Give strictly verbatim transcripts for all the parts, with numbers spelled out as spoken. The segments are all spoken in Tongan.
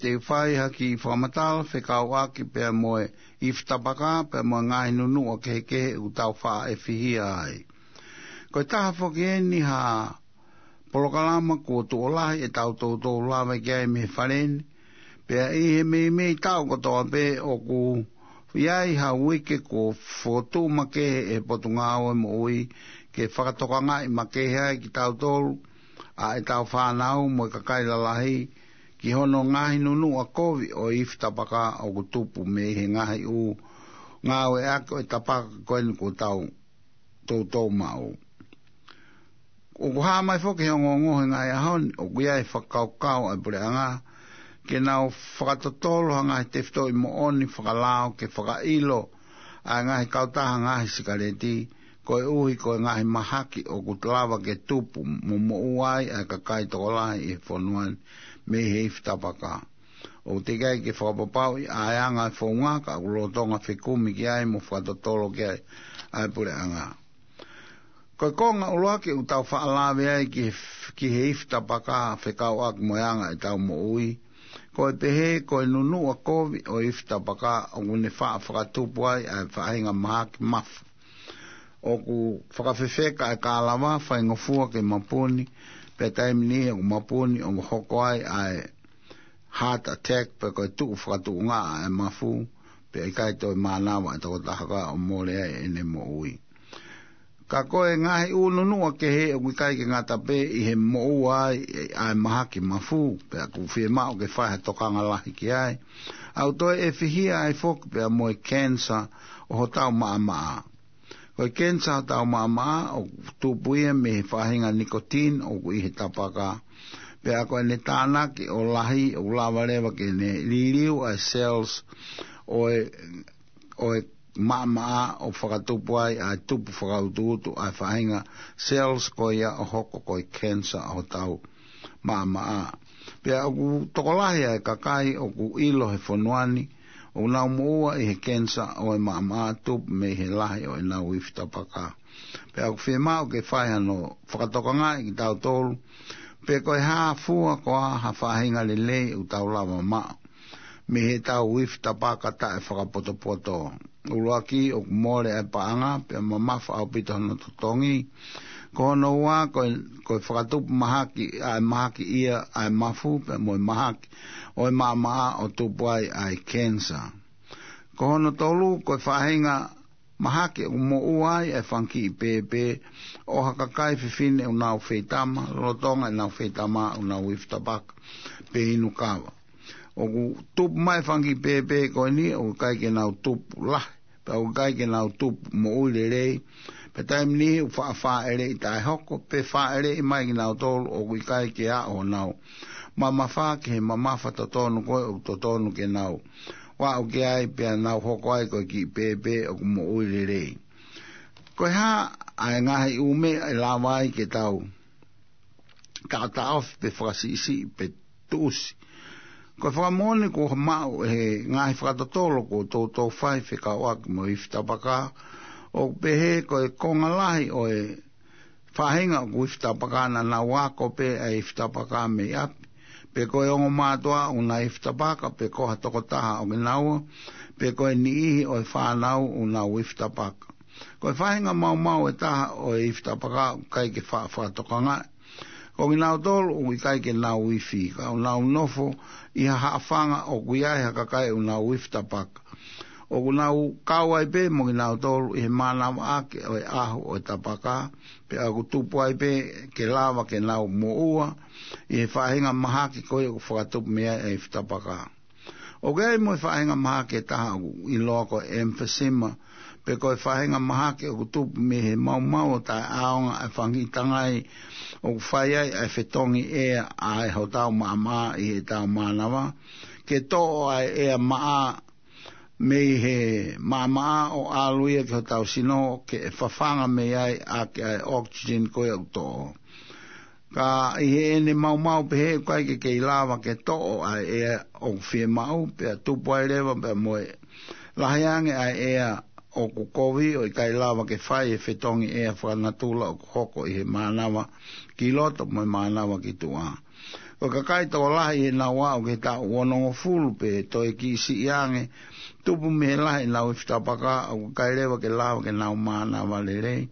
te u fai ha kiʻi fakamatala fekauʻaki pea mo e ifi tapaka pea mo e ngaahi nunuʻa kehekehe ʻoku tau faʻa ʻefihia ai. Ko e taha foki eni ha polokalama kuo tuʻo lahi ʻetau toutou lava ki ai mei he fale ni, pea ʻi he meimei taʻu kotoa pē ʻoku ʻi ai ha uike kuo fokotuʻu makehe ʻe he Potungāue Moʻui ke fakatokangaʻi makehe ai kitautolu, ʻa ʻetau fānau mo e kakai lalahi, ki hono ngaahi nunuʻa kovi ʻo e ifi tapaka ʻoku tupu mei he ngaahi ʻū ngāueʻaki ʻo e tapaka ko eni kuo tau toutou maʻu. ʻOku hā mai foki he ongoongo he ngaahi ʻaho ni, ʻoku ʻi ai e fakakaukau ʻa e puleʻanga ke nau fakatotolo ha ngaahi tefitoʻi moʻoni fakalao ke fakaʻilo ʻa e ngaahi kautaha ngaahi sikaleti, koeʻuhi ko e ngaahi mahaki ʻoku lava ke tupu mo moʻua ai ʻa e kakai tokolahi ʻi he fonua ni mei he ifi tapaka. ʻOku teʻeki ai ke fakapapauʻi ʻa e anga e founga ka ʻoku lolotonga fekumi ki ai mo fakatotolo ki ai ʻa e puleʻanga. Ko e konga ʻuluaki ʻoku tau faʻa lave ai ki he, ki he ifi tapaka fekauʻaki mo e anga ʻetau moʻui, ko e pehē ko e nunuʻa kovi ʻo e ifi tapaka ʻoku ne faʻa fakatupu ai ʻa e faʻahinga mahaki mafu. ʻOku fakafefeka ʻa e kālava, faingofua ke mapuni, pea taimi niʻihi ʻoku mapuni ʻo hoko ai ʻa e heart attack, pe ko e tuʻu fakatuʻunga ʻa e mafu, pea ʻikai toe mānava ʻa e tokotaha ka ʻo mole ai ʻene moʻui. Ka ko e ngaahi ʻū nunuʻa kehe ʻoku ʻikai ke ngata pē ʻi he moʻua ai ʻa e mahaki mafu, pea ʻoku fiemaʻu ke fai ha tokanga lahi ki ai. ʻOku toe ʻefihia ai foki pea mo e cancer ʻo hotau maʻamaʻa. Ko e cancer ʻo hotau maʻamaʻa ʻoku tupu ia mei he faʻahinga nicotine ʻoku ʻi he tapaka. Pea ko ʻene tānaki ʻo lahi ʻoku lava leva ke ne liliu ʻa e cells ʻo e, ʻo e maʻamaʻa ʻo fakatupu ai ʻa e tupu fakautuutu ʻa e faʻahinga cells ko ia ʻo hoko ko e cancer ʻo hotau maʻamaʻa. Pea ʻoku tokolahi ʻa e kakai ʻoku ʻilo he fonua ni ʻoku nau moʻua ʻi he cancer ʻo e maʻamaʻa tupu mei he lahi ʻo ʻenau ifi tapaka. Pea ʻoku fiemaʻu ke fai hano fakatokangaʻi kitautolu pe ko e hā fua koā ha faʻahinga lelei ʻoku tau lava maʻu mei heʻetau ifi tapaka taʻefakapotopoto. ʻUluaki, ʻoku mole ʻa e paʻanga pea mamafa ʻaupito hono totongi. Ko hono ua, ko e, ko e fakatupu mahaki, ʻa e mahaki ia ʻa e mafu pea mo e mahaki ʻo e maʻamaʻa ʻo tupu ai ʻa e cancer. Ko hono tolu, ko e faʻahinga mahaki ʻoku moʻua ai ʻa e fanga kiʻi pēpē ʻo ha kakai fefine ʻoku nau feitama, lolotonga ʻenau feitama ʻoku nau ifi tapaka pe inu kava. ʻOku tupu mai e fanga kiʻi pēpē ko eni ʻoku ʻikai ke nau tupu lahi, pea ʻoku ʻikai ke nau tupu moʻui lelei, pea taimi niʻihi ʻoku faʻa fāʻeleʻi taʻehoko, pe fāʻeleʻi mai kinautolu ʻoku ʻikai ke aʻu honau mamafa ki he mamafa totonu ko ē ʻoku totonu ke nau aʻu ki ai pea nau hoko ai ko e kiʻi pēpē ʻoku moʻui lelei. Ko e hā ʻa e ngaahi ʻū meʻa ʻe lava ai ke tau taʻotaʻofi pe fakasiʻisiʻi pe tuʻusi? Ko e fakamoʻoni kuo maʻu ʻe he ngaahi fakatotolo kuo toutou fai fekauʻaki mo e ifi tapaka, ʻoku pehē ko e konga lahi ʻo e faʻahinga ʻoku ifi tapaka naʻa nau ako pē ʻa e ifi tapaka mei ʻapi, pe ko e ongo mātuʻa ʻoku na ifi tapaka, pe ko ha tokotaha ʻo kinaua, pe ko e niʻihi ʻo e fānau ʻoku nau ifi tapaka. Ko e faʻahinga maumau ʻe taha ʻo e ifi tapaka ʻoku ʻikai ke faʻa fakatokangaʻi ko kinautolu ʻoku ʻikai ke nau ifi, ka ʻoku nau nofo ʻi ha haʻafanga ʻoku ʻi ai ha kakai ʻoku nau ifi tapaka. ʻOku nau kau ai pē mo kinautolu ʻi he mānavaʻaki ʻo e ʻahu ʻo e tapaka, pea ʻoku tupu ai pē ke lava ke nau moʻua ʻi he faʻahinga mahaki ko ia ʻoku fakatupu mei ai ʻa e ifi tapaka. ʻOku ʻi ai mo e faʻahinga mahaki ʻe taha ʻoku ʻiloa ko e emphysema, pe ko e faʻahinga mahaki ʻoku tupu mei he maumau ʻo taʻeʻaonga ʻa e fanga kiʻi tangai ʻoku fai ai ʻa e fetongi ʻea ʻa e hotau maʻamaʻa ʻi heʻetau mānava, ke toʻo ʻa e ʻea maʻa mei he maʻamaʻa ʻo ʻalu ia ki hotau sino ke fafanga mei ai ʻaki ʻa e oxygen ko ia ʻoku toʻo. Ka ʻi heʻene maumau pehē ʻoku ʻikai ke kei lava ke toʻo ʻa e ʻea ʻoku fiemaʻu, pea tupu ai leva pea mo e lahi ange ʻa e ʻea ʻoku kovi ʻo ʻikai lava ke fai e fetongi ʻea fakanatula ʻoku hoko ʻi he mānava ki loto mo e mānava ki tuʻa. Ko e kakai tokolahi ʻi heʻenau aʻu ki he taʻu onongofulu pe toe kiʻi siʻi ange, tupu mei he lahi ʻenau ifi tapaka, ʻoku ʻikai leva ke lava ke nau mānava lelei.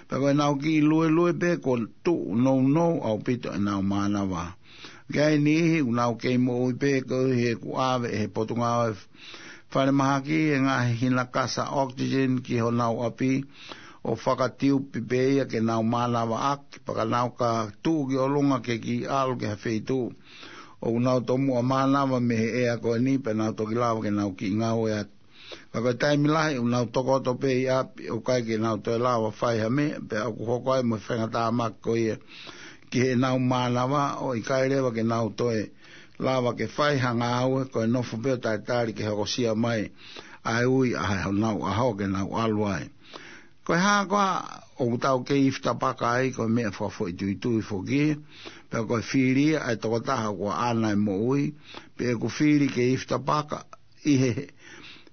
Pea ko ʻenau kiʻi luelue pē kuo tuʻu nounou ʻaupito ʻenau mānava. Ka ʻi ai e niʻihi ʻoku nau kei moʻui pē koeʻuhi he kuo ʻave ʻe he Potungāue Falemahaki e ngaahi hina kasa oxygen ki honau ʻapi, ʻo fakatiupi pē ia ke nau mānavaʻaki, pea ka nau ka tuʻu ki ʻolunga ke kiʻi ʻalu ki ha feituʻu ʻoku nau tomuʻa mānava mei he ʻea ko eni, pea nau toki lava ke nau kiʻi ngāue atu. Ka ko e taimi lahi ʻoku nau tokoto pē ʻi ʻapi, ʻoku ʻikai ke nau toe lava fai ha meʻa, pea ʻoku hoko ai mo e faingatāmaki ko ia ki heʻenau mānava, ʻo ʻikai leva ke nau toe lava ke fai ha ngāue, ko e nofo pē ʻo talitali ke hokosia mai ʻa e ui ʻa honau ʻaho ke nau ʻalu ai. Ko e hā koā ʻoku tau kei ifi tapaka ai, ko e meʻa fakafoʻituitui foki, pea ko e fili ia ʻa e tokotaha ʻoku ʻaʻana e moʻui, pe ʻoku fili ke ifi tapaka ʻi he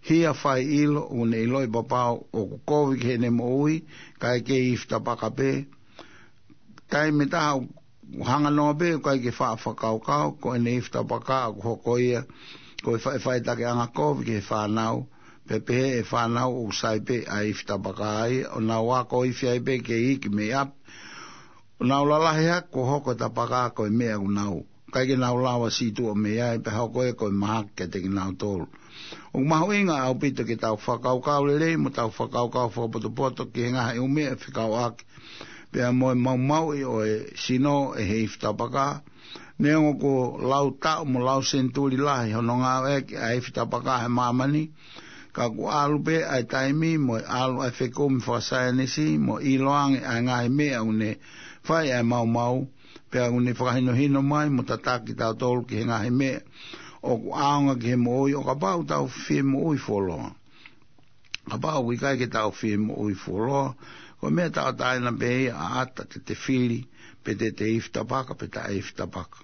hia fai ʻilo, ʻoku ne ʻiloʻi pau ʻoku kovi ki heʻene moʻui, kae kei ifi tapaka pē. Taimi ʻe taha ʻoku hanga noa pē ʻoku ʻikai ke faʻa fakakaukau, ko ʻene ifi tapaka ʻoku hoko ia ko e faʻifaʻitakiʻanga kovi ki he fānau, pea pehē ʻe he fānau ʻoku sai pē ʻa e ifi tapaka ia, ʻo nau ako ifi ai pē ke iiki mei ʻapi, ʻo nau lalahi hake kuo hoko e tapaka ko e meʻa ʻoku nau ʻikai ke nau lava sītuʻa mei ai, pea hoko ia ko e mahaki kiate kinautolu. ʻOku mahuʻinga ʻaupito ke tau fakakaukau lelei mo tau fakakaukau fakapotopoto ki he ngaahi ʻū meʻa fekauʻaki pea mo e maumauʻi ʻo e sino ʻe he ifi tapaka. Neongo kuo lau taʻu mo lau senituli lahi hono ngāueʻaki ʻa e ifi tapaka he māmani, ka kuo ʻalu pē ʻa e taimi mo e ʻalu ʻa e fekumi fakasaienisi mo ʻiloange ʻa e ngaahi meʻa ʻoku ne fai ʻa e maumau, pea ʻoku ne fakahinohino mai mo tataki kitautolu ki he ngaahi meʻa ʻoku ʻaonga ki he moʻui, ʻo kapau ʻoku tau fie moʻui fuoloa. Kapau ʻoku ʻikai ke tau fie moʻui fuoloa, ko e meʻa tauʻatāina pē ia ʻa ʻata te te fili, pe te te ifi tapaka, pe taʻe ifi tapaka.